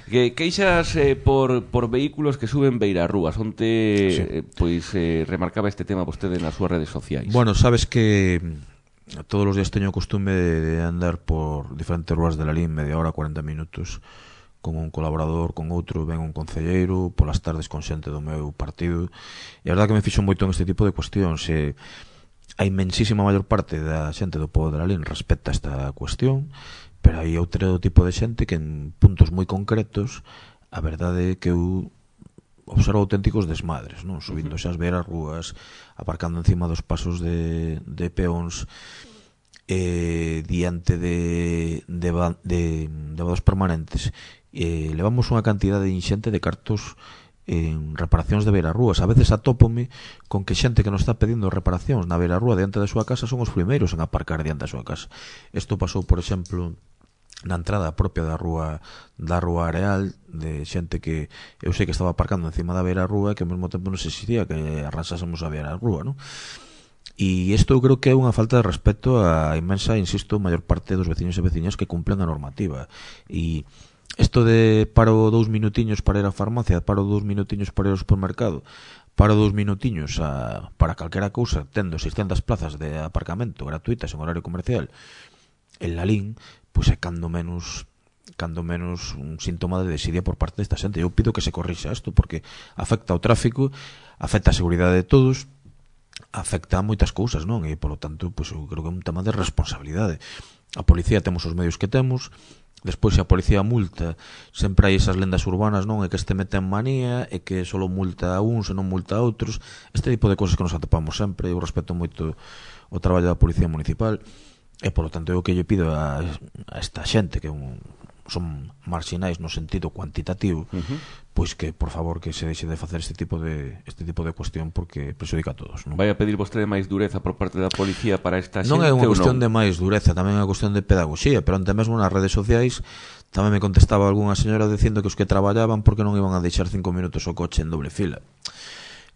Que queixas por vehículos que suben beirarrúas. Onte remarcaba este tema vostede nas súas redes sociais. Bueno, sabes que todos os días teño o costume de andar por diferentes rúas de Lalín, media hora, 40 minutos, con un colaborador, con outro, ven un concelleiro, polas tardes con xente do meu partido, e a verdade que me fixo moito en este tipo de cuestións. A inmensísima maior parte da xente do pobo de Lalín respecta esta cuestión, pero hai outro tipo de xente que en puntos moi concretos a verdade é que eu observo auténticos desmadres, non? Subindo xa as beiras rúas, aparcando encima dos pasos de peóns, diante de vados permanentes. Levamos unha cantidade inxente de cartos en reparacións de beirarrúas. A veces atópome con que xente que nos está pedindo reparacións na beirarrúa diante da súa casa son os primeiros en aparcar diante da súa casa. Isto pasou, por exemplo, na entrada propia da rúa Areal, de xente que eu sei que estaba aparcando encima da beirarrúa e que ao mesmo tempo non se exigía que arrasásemos a beirarrúa, non? E isto eu creo que é unha falta de respeto á inmensa, insisto, maior parte dos veciños e veciñas que cumplen a normativa. E isto de paro 2 minutiños para ir á farmacia, paro 2 minutiños para ir ao supermercado, paro 2 minutiños para calquera cousa, tendo 600 plazas de aparcamento gratuitas en horario comercial en Lalín, pois é cando menos un síntoma de desidia por parte desta xente. Eu pido que se corrixa isto porque afecta ao tráfico, afecta a seguridade de todos, afecta a moitas cousas, non? E polo tanto, pois eu creo que é un tema de responsabilidade. A policía temos os medios que temos. Despois, se a policía multa, sempre hai esas lendas urbanas, non? É que este mete en manía, é que só multa a uns e non multa a outros. Este tipo de cousas que nos atopamos sempre. Eu respeto moito o traballo da policía municipal e, polo tanto, eu que lle pido a esta xente que son marxinais no sentido cuantitativo, pois que, por favor, que se deixe de facer este tipo de cuestión porque prejudica a todos, non? Vai a pedir vostede máis dureza por parte da policía para esta xente? Non é unha cuestión de máis dureza, tamén é unha cuestión de pedagogía, pero ante mesmo nas redes sociais tamén me contestaba algunha señora dicindo que os que traballaban porque non iban a deixar 5 minutos o coche en doble fila.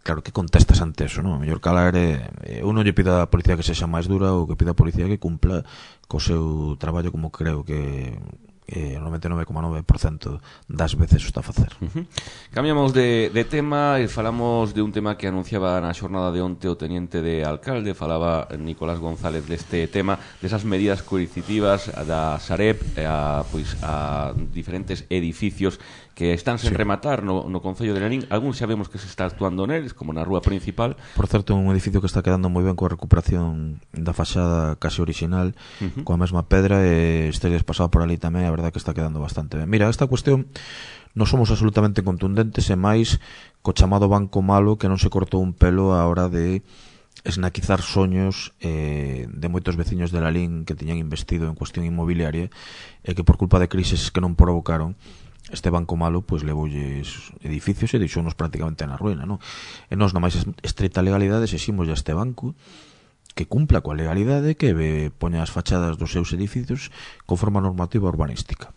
Claro, que contestas ante eso, non? A mellor calar eu non lle pido a policía que sexa máis dura, ou que pida a policía que cumpla co seu traballo como creo que 99,9% das veces o está a facer. Cambiamos de tema e falamos de un tema que anunciaba na xornada de onte o teniente de alcalde. Falaba Nicolás González deste tema, desas medidas coercitivas da Sareb a diferentes edificios que están sen rematar no Concello de Lalín. Algúns xa vemos que se está actuando neles, como na rúa principal. Por certo, un edificio que está quedando moi ben coa recuperación da fachada casi original, coa mesma pedra, e estedes pasado por ali tamén, a verdade que está quedando bastante ben. Mira, esta cuestión non somos absolutamente contundentes, e máis co chamado banco malo que non se cortou un pelo a hora de esnaquizar soños de moitos veciños de Lalín que tiñan investido en cuestión inmobiliaria e que por culpa de crises que non provocaron este banco malo, pois levoulles edificios e deixounos prácticamente na ruína, non? E nós, na máis estrita legalidade, exiximos a este banco que cumpla coa legalidade, que poña as fachadas dos seus edificios conforme a normativa urbanística.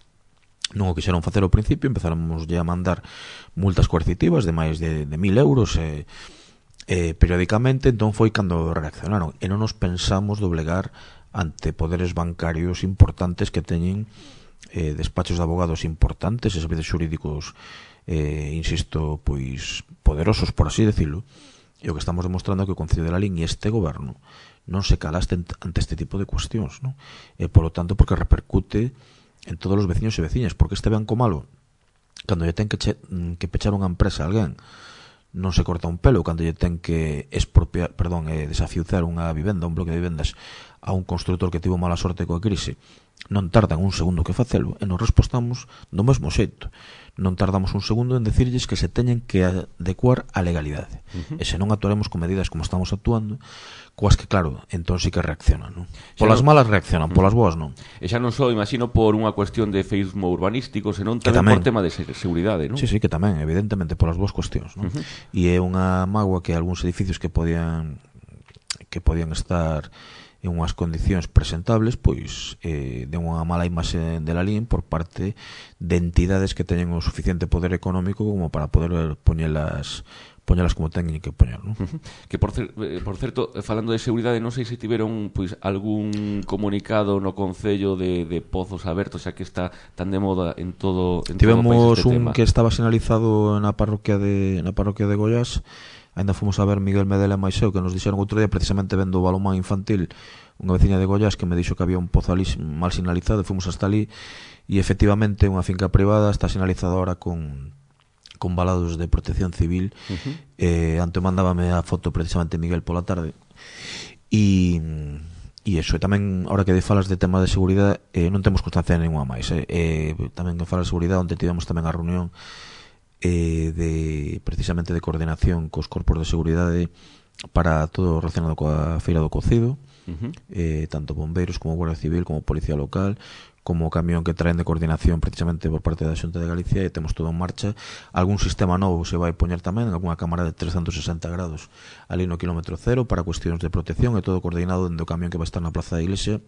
Non o quixeron facer ao principio, empezáramos a mandar multas coercitivas de máis de 1.000 euros periódicamente, entón foi cando reaccionaron e non nos pensamos doblegar ante poderes bancarios importantes que teñen despachos de abogados importantes e servicios xurídicos insisto, pois poderosos, por así decirlo, e o que estamos demostrando é que o Concello de Lalín e este goberno non se calaste ante este tipo de cuestións, non? E polo tanto porque repercute en todos os veciños e veciñas, porque este banco malo, cando lle ten que pechar unha empresa a alguén, non se corta un pelo, cando lle ten que desafiuzar unha vivenda, un bloque de vivendas a un construtor que tivo mala sorte coa crise, non tardan un segundo que facelo, e nos respostamos do mesmo xeito. Non tardamos un segundo en decirlles que se teñen que adecuar á legalidade. E se non actuaremos con medidas como estamos actuando, coas que, claro, entón sí que reaccionan, non? Polas malas reaccionan, polas boas non. E xa non só, imagino, por unha cuestión de feísmo urbanístico, senón tamén por tema de seguridade, non? Sí, que tamén, evidentemente, polas boas cuestións, non? E é unha mágoa que algúns edificios que podían estar en unhas condicións presentables, pois de unha mala imaxe de Lalín por parte de entidades que teñen o suficiente poder económico como para poder poñelas como teñen que poñer, non? Que por certo, falando de seguridade, non sei se tiveron pois algún comunicado no Concello de Pozos Abertos, xa que está tan de moda en todo tivemos o país este un tema. Que estaba sinalizado na parroquia de Goiás. Ainda fomos a ver Miguel Medela e Maiseu, que nos dixeron outro día, precisamente vendo o balonmán infantil, unha veciña de Goiás que me dixo que había un pozo ali mal sinalizado, e fomos hasta ali, e efectivamente unha finca privada está sinalizada ahora con valados de protección civil. Antes mandábame a foto precisamente Miguel pola tarde, e eso, e tamén, ahora que falas de tema de seguridade, non temos constancia de ninguna máis, tamén que falas de seguridade, onde tivemos tamén a reunión precisamente de coordinación cos corpos de seguridade para todo relacionado coa Feira do Cocido, tanto bombeiros como Guardia Civil como Policía Local, como o camión que traen de coordinación precisamente por parte da Xunta de Galicia, e temos todo en marcha. Algún sistema novo se vai poñer tamén, algunha cámara de 360 grados ali no kilómetro cero para cuestións de protección, e todo coordinado dentro do camión que vai estar na Plaza da Iglesia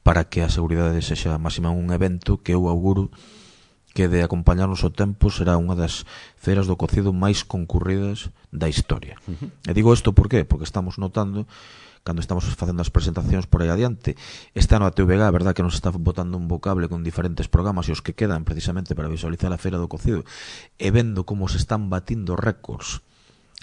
para que a seguridade sexa máxima. Un evento que eu auguro que, de acompañarnos o tempo, será unha das feiras do cocido máis concurridas da historia. E digo isto por qué? Porque estamos notando, cando estamos facendo as presentacións por aí adiante, este ano a TVG, a verdad que nos está botando un vocable con diferentes programas, e os que quedan precisamente para visualizar a feira do cocido, e vendo como se están batindo récords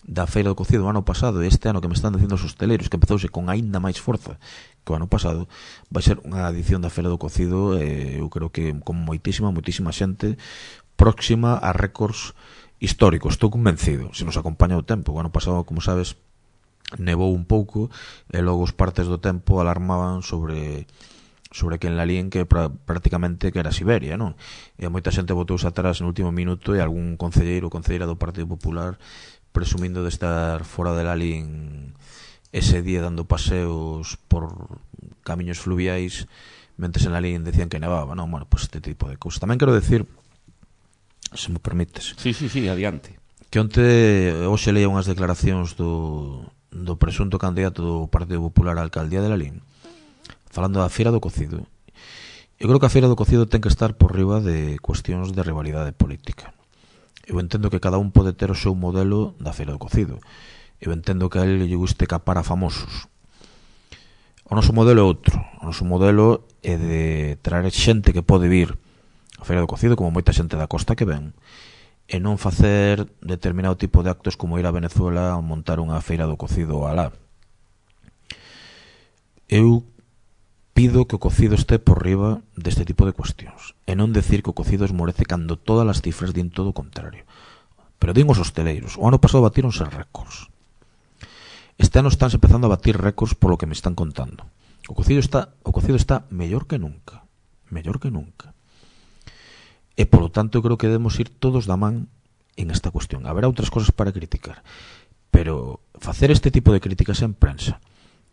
da feira do cocido o ano pasado, e este ano que me están dicindo os hosteleiros que empezouse con aínda máis forza que o ano pasado, vai ser unha edición da feira do cocido, eu creo que con moitísima xente próxima a récords históricos. Estou convencido, se nos acompaña o tempo. O ano pasado, como sabes, nevou un pouco, e logo os partes do tempo alarmaban sobre que en Lalín que prácticamente que era Siberia, non? E moita xente botouse atrás no último minuto, e algún concelleiro ou concelleira do Partido Popular presumindo de estar fora de Lalín ese día dando paseos por camiños fluviais, mentres en Lalín decían que nevaba, non? Bueno, pues este tipo de cousas. Tamén quero decir, se me permites, sí, adiante, que hoxe leía unhas declaracións do presunto candidato do Partido Popular á alcaldía de Lalín, falando da Feira do Cocido. Eu creo que a Feira do Cocido ten que estar por riba de cuestións de rivalidade política. Eu entendo que cada un pode ter o seu modelo da Feira do Cocido. Eu entendo que a ele lle guste capar a famosos. O noso modelo é outro. O noso modelo é de traer xente que pode vir a Feira do Cocido, como moita xente da costa que ven, e non facer determinado tipo de actos como ir a Venezuela a montar unha Feira do Cocido alá. Eu pido que o cocido este por riba deste tipo de cuestións, e non decir que o cocido esmorece cando todas as cifras din todo o contrario. Pero din os hosteleiros, o ano pasado batíronse récords. Este ano estánse empezando a batir récords polo que me están contando. O cocido está mellor que nunca. E polo tanto eu creo que debemos ir todos da man en esta cuestión. Haberá outras cosas para criticar, pero facer este tipo de críticas en prensa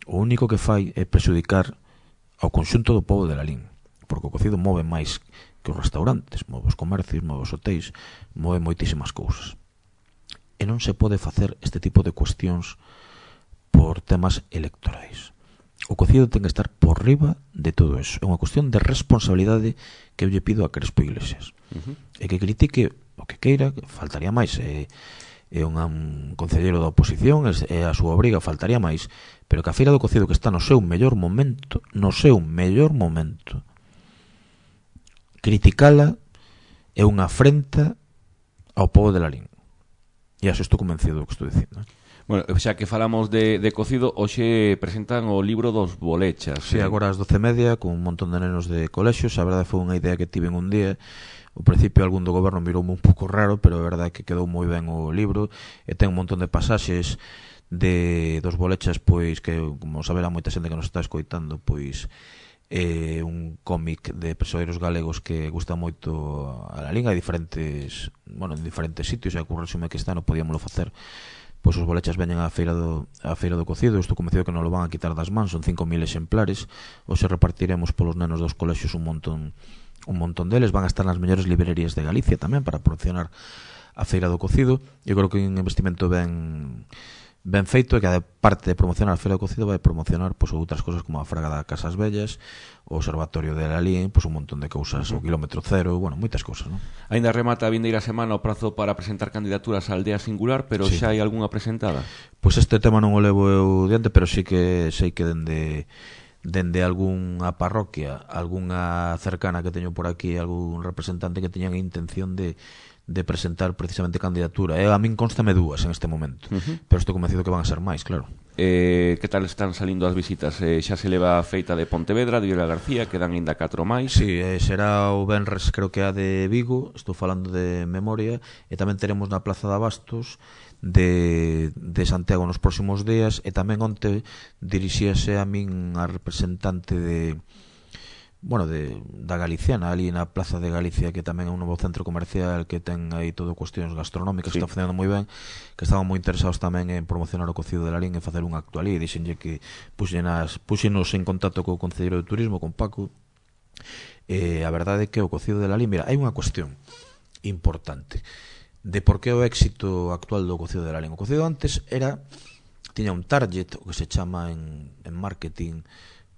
o único que fai é prexudicar ao conxunto do pobo de Lalín, porque o cocido move máis que os restaurantes, move os comercios, move os hotéis, move moitísimas cousas. E non se pode facer este tipo de cuestións por temas electorais. O cocido ten que estar por riba de todo eso. É unha cuestión de responsabilidade que eu lle pido a Crespo Iglesias. E que critique o que queira, que faltaría máis. É un concelleiro da oposición, é a súa obriga, faltaría máis. Pero que a Feira do Cocido, que está no seu mellor momento, criticala é unha afrenta ao pobo de Lalín. E así estou convencido do que estou dicindo. Bueno, xa que falamos de cocido, hoxe presentan o libro dos bolechas. Sí, agora ás 12:30, con un montón de nenos de colexios. A verdade foi unha idea que tive un día. Ao principio algún do goberno miroume un pouco raro, pero a verdade é que quedou moi ben o libro, e ten un montón de pasaxes dos bolechas, pois que, como saberá moita xente que nos está escoitando, pois un cómic de persoeiros galegos que gusta moito a Lalín. Hai en diferentes sitios, e ocurre-me que este ano podíamoslo facer. Pois os bolechas veñen á feira do cocido. Estou convencido que non lo van a quitar das mans. Son 5.000 exemplares. Hoxe repartiremos polos nenos dos colexios un montón deles. Van a estar nas mellores librerías de Galicia tamén para promocionar a feira do cocido. Eu creo que é un investimento ben ben feito e que a parte de promocionar a Feira do Cocido vai promocionar pois outras cousas como a Fraga da Casas Bellas, o Observatorio de Lalín, pois un montón de cousas, o Kilómetro Cero, bueno, moitas cousas, non? Ainda remata a vindeira semana o prazo para presentar candidaturas á aldea singular, pero Sí. xa hai algunha presentada? Pois este tema non o levo eu diante, pero sí que sei que dende algunha parroquia, algunha cercana que teño por aquí, algún representante que teñan a intención de presentar precisamente candidatura. A min constame dúas en este momento, pero estou convencido que van a ser máis, claro. Que tal están salindo as visitas? Xa se leva a feita de Pontevedra, de Vila García, quedan ainda 4 máis. Sí, será o venres, creo que a de Vigo, estou falando de memoria, e tamén teremos na Plaza de Abastos de Santiago nos próximos días, e tamén onte dirixíase a min a representante da Galiciana, ali na Plaza de Galicia, que tamén é un novo centro comercial que ten aí todo cuestións gastronómicas, que está facendo moi ben, que estaban moi interesados tamén en promocionar o cocido de Lalín e facer un acto ali, e dixenlle que puxenos en contacto co Concelleiro de Turismo, con Paco. A verdade é que o cocido de Lalín, mira, hai unha cuestión importante de por que o éxito actual do cocido de Lalín. O cocido antes tiña un target, o que se chama en marketing,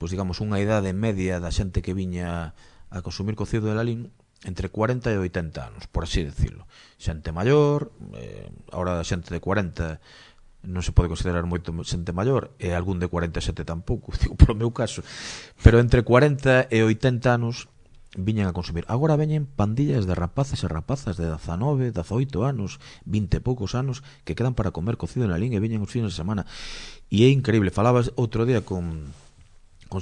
pois digamos unha idade media da xente que viña a consumir cocido de Lalín entre 40 e 80 anos, por así decirlo. Xente maior, ahora xente de 40 non se pode considerar moito xente maior, e algún de 47 tampouco, digo polo meu caso, pero entre 40 e 80 anos viñan a consumir. Agora veñen pandillas de rapaces e rapazas de 19, 18 anos, 20 e poucos anos, que quedan para comer cocido de Lalín e viñen os fines de semana. E é increíble. Falabas outro día con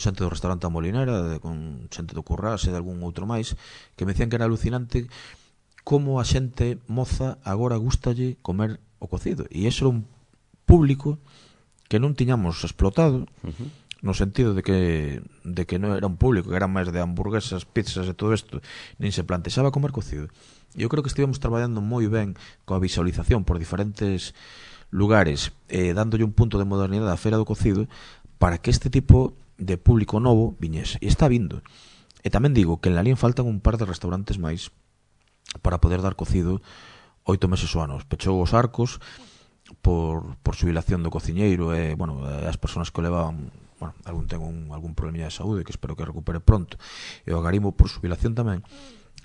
xente do restaurante A Molinera, con xente do Currás e de algún outro máis, que me decían que era alucinante como a xente moza agora gustalle comer o cocido. E iso era un público que non tiñamos explotado, no sentido de que non era un público que era máis de hamburguesas, pizzas e todo isto, nin se plantexaba comer cocido. E eu creo que estivemos traballando moi ben coa visualización por diferentes lugares, dándolle un punto de modernidade á Feira do Cocido, para que este tipo de público novo viñese, e está vindo. E tamén digo que en Lalín faltan un par de restaurantes máis para poder dar cocido 8 meses o ano. Pechou os Arcos por xubilación do cociñeiro e, bueno, as persoas que o levaban, bueno, algún ten algún problemilla de saúde que espero que recupere pronto, e o Agarimo por xubilación tamén.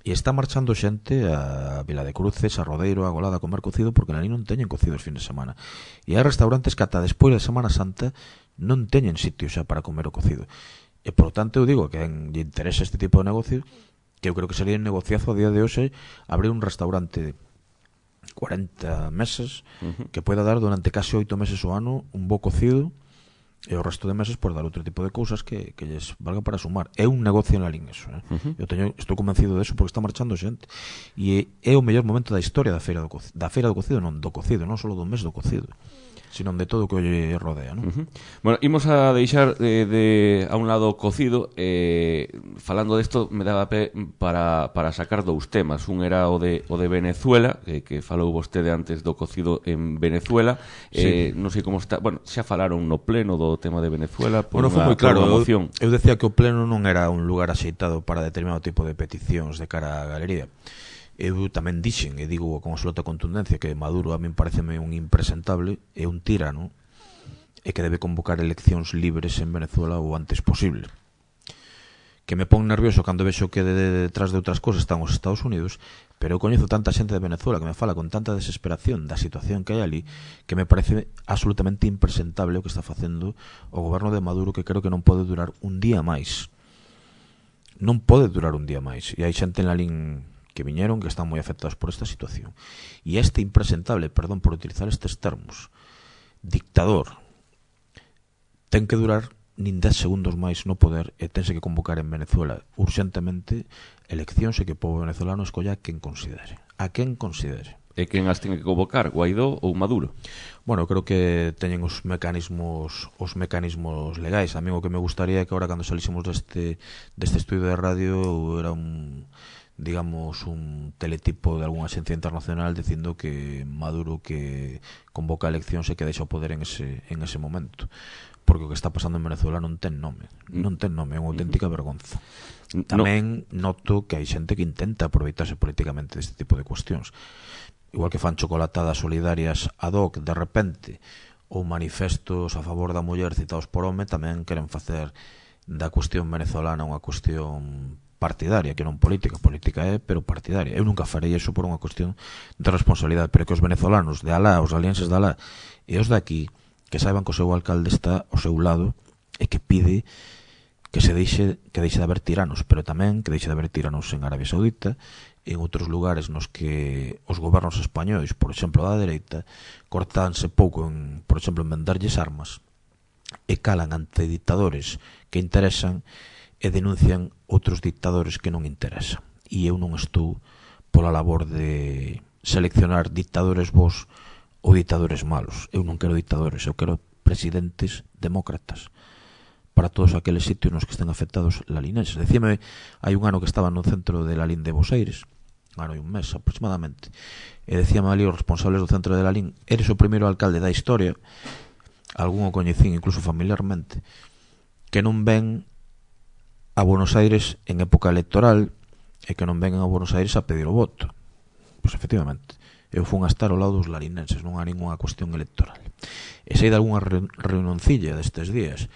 E está marchando xente a Vila de Cruces, a Rodeiro, a Golada a comer cocido, porque en Lalín non teñen cocido os fines de semana. E hai restaurantes que ata despois da Semana Santa non teñen sitio xa para comer o cocido. E, por tanto, eu digo que lle interesa este tipo de negocio, que eu creo que sería un negociazo a día de hoxe abrir un restaurante de 40 meses que poida dar durante casi 8 meses o ano un bo cocido, e o resto de meses por dar outro tipo de cousas que lles valga para sumar. É un negocio en Lalín eso, Eu estou convencido de eso porque está marchando xente, e é o mellor momento da historia da Feira do Cocido, non do cocido, non só do mes do cocido, sino de todo o que lle rodea, non? Bueno, imos a deixar a un lado o cocido. Falando desto, me daba pé para sacar dous temas. Un era o de Venezuela, que falou vostede antes do cocido en Venezuela. Sí. Non sei como está. Bueno, xa falaron no pleno do tema de Venezuela por Bueno, foi moi claro. moción. Eu decía que o pleno non era un lugar axeitado para determinado tipo de peticións de cara á galería. Eu tamén dixen, e digo con absoluta contundencia, que Maduro a min pareceme un impresentable e un tirano, e que debe convocar eleccións libres en Venezuela o antes posible. Que me pon nervioso cando vexo que detrás de outras cosas están os Estados Unidos, pero eu coñezo tanta xente de Venezuela que me fala con tanta desesperación da situación que hai ali, que me parece absolutamente impresentable o que está facendo o goberno de Maduro, que creo que non pode durar un día máis. Non pode durar un día máis. E hai xente en Lalín que viñeron que están moi afectados por esta situación. E este impresentable, perdón por utilizar estes termos, dictador, ten que durar nin 10 segundos máis no poder, e tense que convocar en Venezuela urxentemente eleccións, e que o povo venezolano escolla a quen considere. A quen considere. E quen as ten que convocar, Guaidó ou Maduro? Bueno, creo que teñen os mecanismos legais. A mí o que me gustaría é que agora cando salísemos deste estudio de radio era un teletipo de algunha agencia internacional dicindo que Maduro que convoca eleccións e que deixa o poder en ese momento, porque o que está pasando en Venezuela non ten nome, é unha auténtica vergonza. Tamén noto que hai xente que intenta aproveitarse políticamente deste tipo de cuestións, igual que fan chocolatadas solidarias ad hoc de repente, ou manifestos a favor da muller citados por home tamén queren facer da cuestión venezolana unha cuestión partidaria, que non política, política é, pero partidaria. Eu nunca farei iso por unha cuestión de responsabilidade, pero que os venezolanos de alá, os alienses de alá e os de aquí, que saiban que o seu alcalde está ao seu lado e que pide que deixe de haber tiranos, pero tamén que deixe de haber tiranos en Arabia Saudita e en outros lugares nos que os gobernos españois, por exemplo da dereita, cortanse pouco en, por exemplo, en venderlles armas e calan ante dictadores que interesan e denuncian outros dictadores que non interesan. E eu non estou pola labor de seleccionar dictadores bons ou dictadores malos. Eu non quero dictadores, eu quero presidentes demócratas para todos aqueles sitios nos que estén afectados lalinenses. Decíame, hai un ano que estaba no centro de Lalín de Boseires, un ano e un mes aproximadamente, e decíame ali os responsables do centro de Lalín: eres o primeiro alcalde da historia, algún o coñecín incluso familiarmente, que non ven a Buenos Aires en época electoral e que non ven a Buenos Aires a pedir o voto. Pois efectivamente, eu fun a estar ao lado dos larinenses, non há ninguna cuestión electoral. E sei de algunha reunioncilla destes días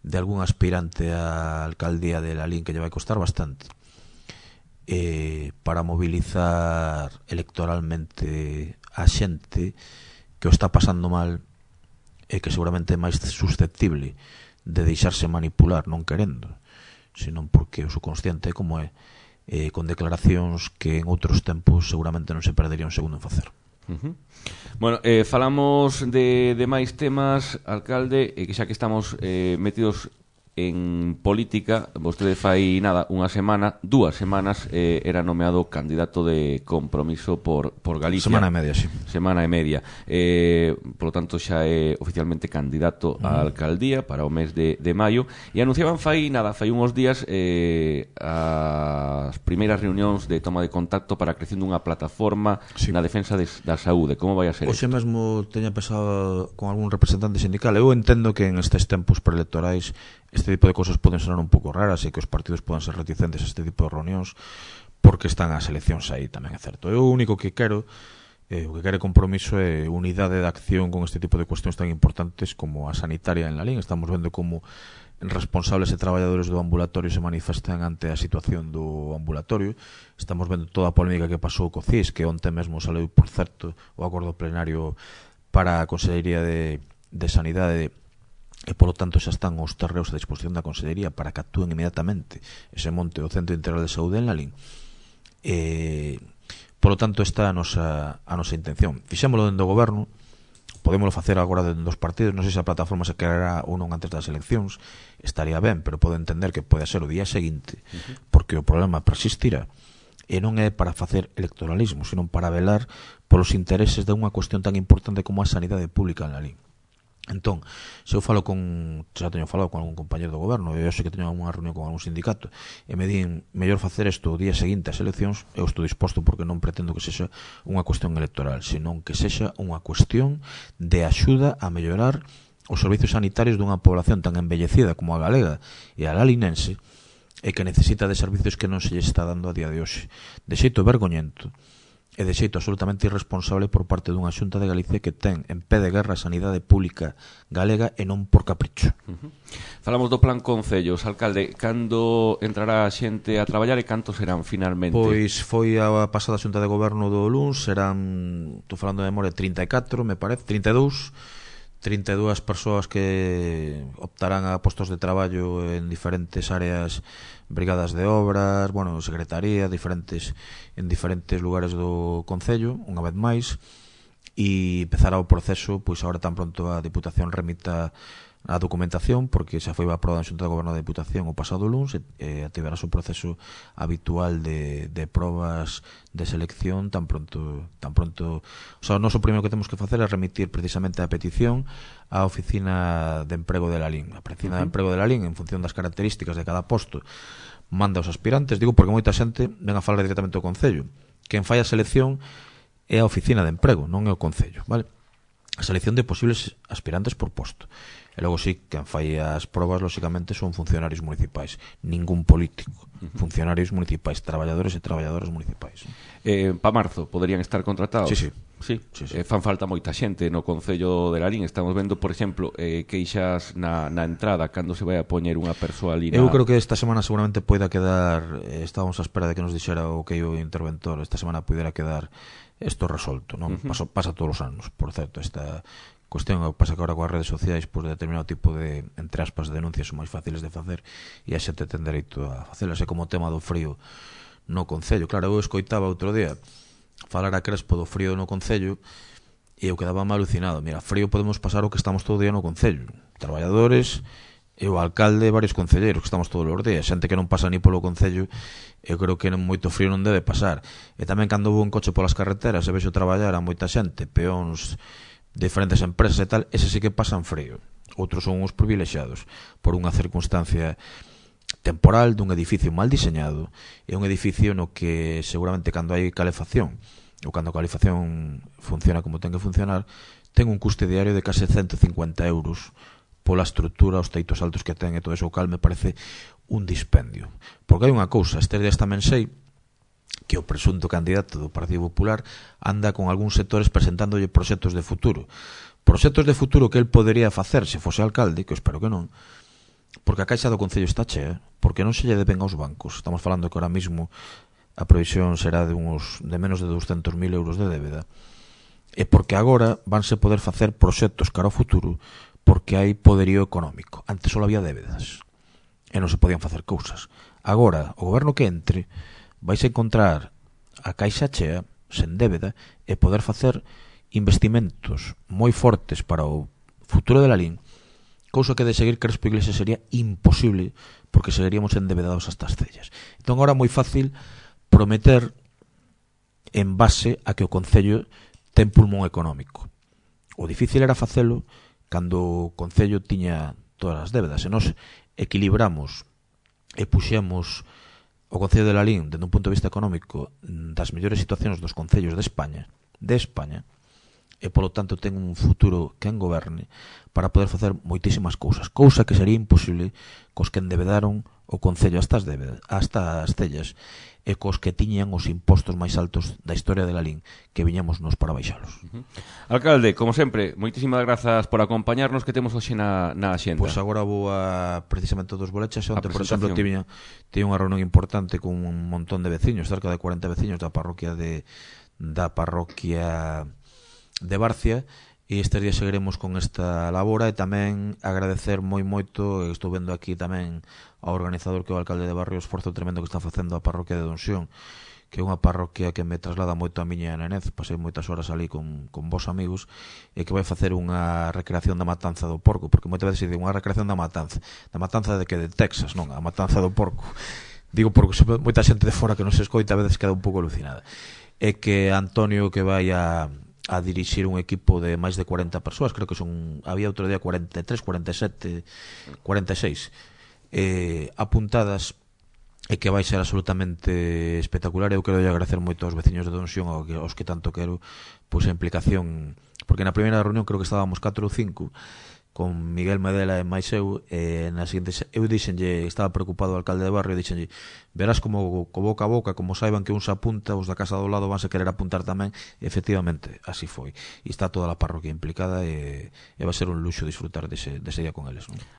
de algún aspirante á alcaldía de Lalín que lle vai costar bastante para mobilizar electoralmente a xente que o está pasando mal e que seguramente é máis susceptible de deixarse manipular non querendo, senón porque o subconsciente como é, con declaracións que en outros tempos seguramente non se perdería un segundo en facer. Bueno, falamos de máis temas, alcalde, que xa que estamos metidos en política, vostede fai nada, unha semana, 2 semanas, era nomeado candidato de Compromiso por Galicia. Semana e media, sí. Semana e media. Por lo tanto, xa é oficialmente candidato á alcaldía para o mes de maio. E anunciaban fai uns días as primeiras reunións de toma de contacto para a creación dunha plataforma na defensa da saúde. Como vai a ser? Hoxe mesmo teña pensado con algún representante sindical. Eu entendo que en estes tempos preelectorais este tipo de cosas poden sonar un pouco raras e que os partidos poden ser reticentes a este tipo de reunións porque están as eleccións aí, tamén é certo. Eu o único que quero, o que quere Compromiso é unidade de acción con este tipo de cuestións tan importantes como a sanitaria en Lalín. Estamos vendo como responsables e traballadores do ambulatorio se manifestan ante a situación do ambulatorio. Estamos vendo toda a polémica que pasou co CIS, que onte mesmo saleu, por certo, o acordo plenario para a Consellería de Sanidade, e polo tanto xa están os terreos a disposición da Consellería para que actúen inmediatamente ese monte o Centro Integral de Saúde en Lalín. Polo tanto, esta é a nosa intención. Fixémolo dentro do goberno, podémolo facer agora dentro dos partidos. Non sei se a plataforma se creará ou non antes das eleccións, estaría ben, pero pode entender que pode ser o día seguinte, porque o problema persistirá, e non é para facer electoralismo, sino para velar polos intereses de unha cuestión tan importante como a sanidade pública en Lalín. Entón, se eu falo xa teño falado con algún compañero do goberno, e eu sei que teño unha reunión con algún sindicato, e me din mellor facer isto o día seguinte ás eleccións, eu estou disposto, porque non pretendo que sexa unha cuestión electoral, senón que sexa unha cuestión de axuda a mellorar os servizos sanitarios dunha población tan envellecida como a galega e a lalinense, e que necesita de servizos que non se lle está dando a día de hoxe, de xeito vergoñento e de xeito absolutamente irresponsable por parte dunha Xunta de Galicia que ten en pé de guerra a sanidade pública galega e non por capricho. Falamos do plan Concellos, alcalde, cando entrará a xente a traballar e cantos serán finalmente? Pois foi a pasada Xunta de Goberno do luns, serán, estou falando de memoria, 34, me parece, 32 persoas que optarán a postos de traballo en diferentes áreas, brigadas de obras, bueno, secretaría, en diferentes lugares do Concello, unha vez máis, e empezará o proceso, pois agora tan pronto a Diputación remita a documentación, porque xa foi aprobada en Xunta de Goberno da Diputación o pasado luns, e activará o proceso habitual de probas de selección tan pronto. O sea, o noso primeiro que temos que facer é remitir precisamente a petición á Oficina de Emprego de Lalín. A Oficina de Emprego de Lalín, en función das características de cada posto, manda aos aspirantes. Digo porque moita xente ven a falar directamente ao Concello. Quen fai a selección é a Oficina de Emprego, non é o Concello, vale? A selección de posibles aspirantes por posto. E logo sí, quen fai as probas, lóxicamente, son funcionarios municipais, ningún político, funcionarios municipais, traballadores e traballadoras municipais. Pa marzo poderían estar contratados? Sí, sí. Sí, fan falta moita xente no Concello de Lalín. Estamos vendo, por exemplo, queixas na entrada cando se vai a poñer unha persoa ali Eu creo que esta semana seguramente poida quedar, estábamos á espera de que nos dixera o que o interventor, esta semana poidera quedar isto resolto, non? Pasa todos os anos, por certo, esta cuestión pasa que agora coas redes sociais por determinado tipo de, entre aspas, denuncias son máis fáciles de facer e a xente ten dereito a facelas, é como o tema do frío no Concello. Claro, eu escoitaba outro día falar a Crespo do frío no Concello e eu quedaba alucinado. Mira, frío podemos pasar o que estamos todo o día no Concello, traballadores e o alcalde e varios concelleiros que estamos todos os días, xente que non pasa ni polo Concello. Eu creo que moito frío non debe pasar. E tamén cando vou en coche polas carreteras e vexo traballar a moita xente, peóns de diferentes empresas e tal, ese sí que pasan frío. Outros son uns privilexiados por unha circunstancia temporal dun edificio mal diseñado, é un edificio no que seguramente cando hai calefacción ou cando a calefacción funciona como ten que funcionar, ten un custe diario de case 150 euros pola estrutura, os teitos altos que ten e todo eso, o cal me parece un dispendio. Porque hai unha cousa, estes días tamén sei que o presunto candidato do Partido Popular anda con algúns sectores presentándolle proxectos de futuro que el podería facer se fose alcalde, que eu espero que non, porque a caixa do Concello está chea, porque non se lle deben aos bancos. Estamos falando que ahora mismo a previsión será de menos de 200.000 euros de débeda, e porque agora vanse poder facer proxectos cara ao futuro porque hai poderío económico. Antes só había débedas e non se podían facer cousas. Agora, o goberno que entre vais a encontrar a caixa chea, sen débeda, e poder facer investimentos moi fortes para o futuro de Lalín, cousa que de seguir Crespo Iglesias sería imposible porque seguiríamos endebedados hasta as cellas. Entón agora é moi fácil prometer en base a que o Concello ten pulmón económico. O difícil era facelo cando o Concello tiña todas as débedas, e nos equilibramos e puxemos o Concello de Lalín dende un punto de vista económico das mellores situacións dos concellos de España, e polo tanto ten un futuro que en goberne para poder facer moitísimas cousas, cousa que sería imposible cos que endebedaron o Concello hasta as cellas e cos que tiñan os impostos máis altos da historia de Lalín, que viñamos nos para baixalos. Alcalde, como sempre, moitísimas grazas por acompañarnos, que temos hoxe na xenda. Pois agora vou a precisamente dos bolechas, onde, por exemplo, tiña unha reunión importante con un montón de veciños, cerca de 40 veciños da parroquia de Barcia, e estes días seguiremos con esta labora, e tamén agradecer moito, estou vendo aquí tamén ao organizador, que é o alcalde de Barrio, o esforzo tremendo que está facendo a parroquia de Donsión, que é unha parroquia que me traslada moito a miña nenez, pasei moitas horas ali con vos amigos, e que vai facer unha recreación da matanza do porco, porque moitas veces se di unha recreación da matanza de que de Texas, non, a matanza do porco, digo porque moita xente de fora que non se escoita a veces queda un pouco alucinada, e que Antonio, que vai a dirixir un equipo de máis de 40 persoas, creo que había outro día 43, 47, 46 apuntadas, e que vai ser absolutamente espectacular. Eu quero agradecer moito aos veciños de Donsión, aos que tanto quero, pois a implicación, porque na primeira reunión creo que estábamos 4 ou 5 con Miguel Medela e máis eu, na seguinte eu dixenlle, estaba preocupado o alcalde de Barrio, dixenlle, verás como co boca a boca, como saiban que un se apunta, os da casa do lado vanse querer apuntar tamén, e efectivamente así foi, e está toda a parroquia implicada, e vai ser un luxo disfrutar dese día con eles, non?